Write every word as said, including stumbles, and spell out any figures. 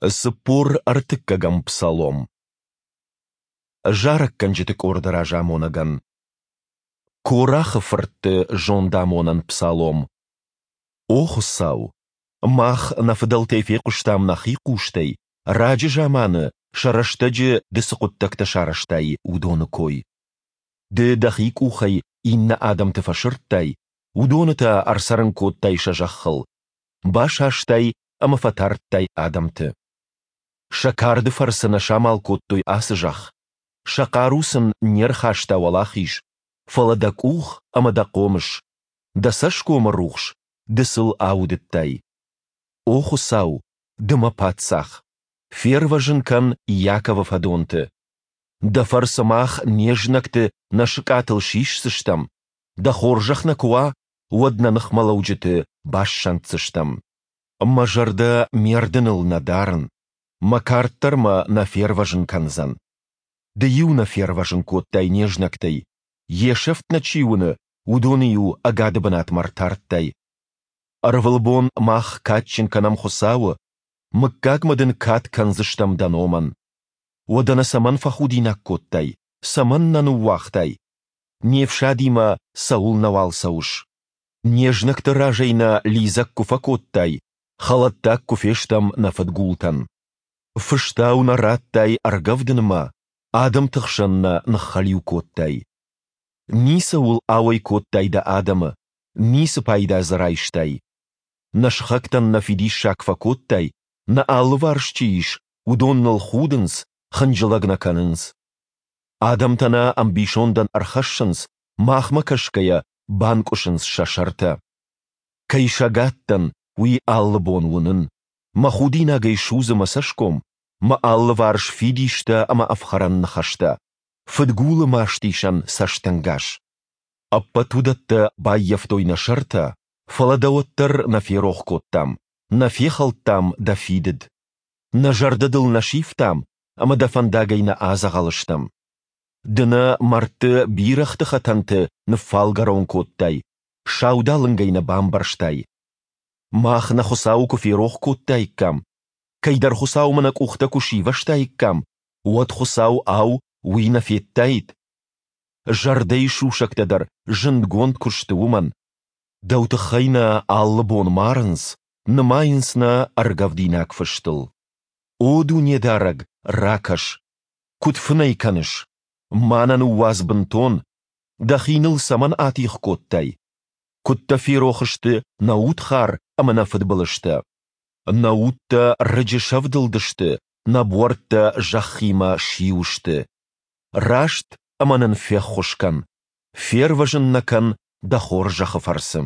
Цыппор ӕртыккӕгӕм псалом. Зарӕггӕнджыты къорды разамонӕгӕн. Корахы фыртты зондамонӕн псалом. О Хуыцау, мах нӕ фыдӕлтӕй фехъуыстам нӕхи хъустӕй, раджы заманы, сӕ рӕстӕджы Ды цы хъуыддӕгтӕ сарӕзтай, уыдоны кой. Ды Дӕхи къухӕй иннӕ адӕмты фӕсырдтай, уыдоны та ӕрцӕрын кодтай сӕ зӕххыл, басастай ӕмӕ фӕтардтай адӕмты. Сӕ карды фӕрцы нӕ самал кодтой ацы зӕхх, сӕ хъару сын не рхаста уӕлахиз, фӕлӕ Дӕ къух ӕмӕ Дӕ хъомыс, Дӕ цӕсгомы рухс, Ды сыл аудыдтай. О Хуыцау, Ды мӕ Паддзах! Фервӕзын кӕн Иаковы фӕдонты! Дӕ фӕрцы мах не знӕгты нӕ сыкъатыл сисдзыстӕм, Дӕ хорзӕх нӕ куы уа, уӕд нӕ ныхмӕлӕуджыты бассӕнддзыстӕм. Мӕ зӕрдӕ ме рдыныл нӕ дарын, мӕ кард дӕр мӕ нӕ фервӕзын кӕндзӕн. Ды-иу нӕ фервӕзын кодтай не знӕгтӕй, йе сӕфт нӕ чи уыны, уыдоны-иу ӕгады бынатмӕ ртардтай. Ӕрвылбон мах кадджын кӕнӕм Хуыцауы, мыггагмӕ дын кад кӕндзыстӕм дӕ номӕн. Уӕдӕ нӕ цӕмӕн фӕхудинаг кодтай, цӕмӕн нӕ ныууагътай? Не фсадимӕ цӕуылнӕуал цӕуыс? Не знӕгты разӕй нӕ лидзӕг куы фӕкодтай, хӕлӕттаг куы фестӕм нӕ фыдгултӕн. Фыстау нӕ радтай ӕргӕвдынмӕ, адӕмты хсӕн нӕ ныххӕлиу кодтай. Ницӕуыл ауӕй кодтай дӕ адӕмы, ницы пайда дзы райстай. Нӕ сыхӕгтӕн нӕ фидиссаг фӕкодтай, нӕ алыварс чи ис, уыдон ныл худынц, хынджылӕг нӕ кӕнынц. Адӕмтӕ нӕ ӕмбисондӕн ӕрхӕссынц, махмӕ кӕсгӕйӕ банкъуысынц сӕ сӕртӕ. Кӕй сӕгад дӕн, уый алы бон уынын. Мӕ худинагӕй судзы мӕ цӕсгом, мӕ алыварс фидистӕ ӕмӕ ӕфхӕрӕн ныхӕстӕ, фыдгулы мастисӕн цӕстӕнгас. Ӕппӕт уыдӕттӕ баййӕфтой нӕ сӕртӕ, фӕлӕ дӕ уӕддӕр нӕ ферох кодтам, нӕ фехӕлдтам дӕ фидыд. Нӕ зӕрдӕ дыл нӕ сивтам ӕмӕ дӕ фӕндагӕй нӕ адзӕгъӕл стӕм. Ды нӕ мӕрдты бирӕгъты хӕтӕнты ныффалгӕрон кодтай, саудалынгӕй нӕ бамбӕрзтай. Мах нӕ Хуыцауы куы ферох кодтаиккам, кӕйдӕр хуыцаумӕ нӕ къухтӕ куы сивӕзтаиккам, уӕд Хуыцау, ау, уый нӕ федтаид? Зӕрдӕйы сусӕгтӕ дӕр зындгонд куы сты уымӕн. Дӕу тыххӕй нӕ алы бон марынц, нымайынц нӕ ӕргӕвдинаг фыстыл. О Дунедарӕг, ракӕс! Куыд фынӕй кӕныс? Ма нӕ ныууадз бынтон! Дӕхи ныл цӕмӕн атигъ кодтай? Куыд дӕ ферох сты нӕ удхар ӕмӕ нӕ фыдбылызтӕ? Нӕ удтӕ рыджы сӕвдылдысты, нӕ буӕрттӕ зӕххимӕ сиу сты. Раст ӕмӕ нын феххуыс кӕн, фервӕзын нӕ кӕн дӕ хорзӕхы фӕрцы.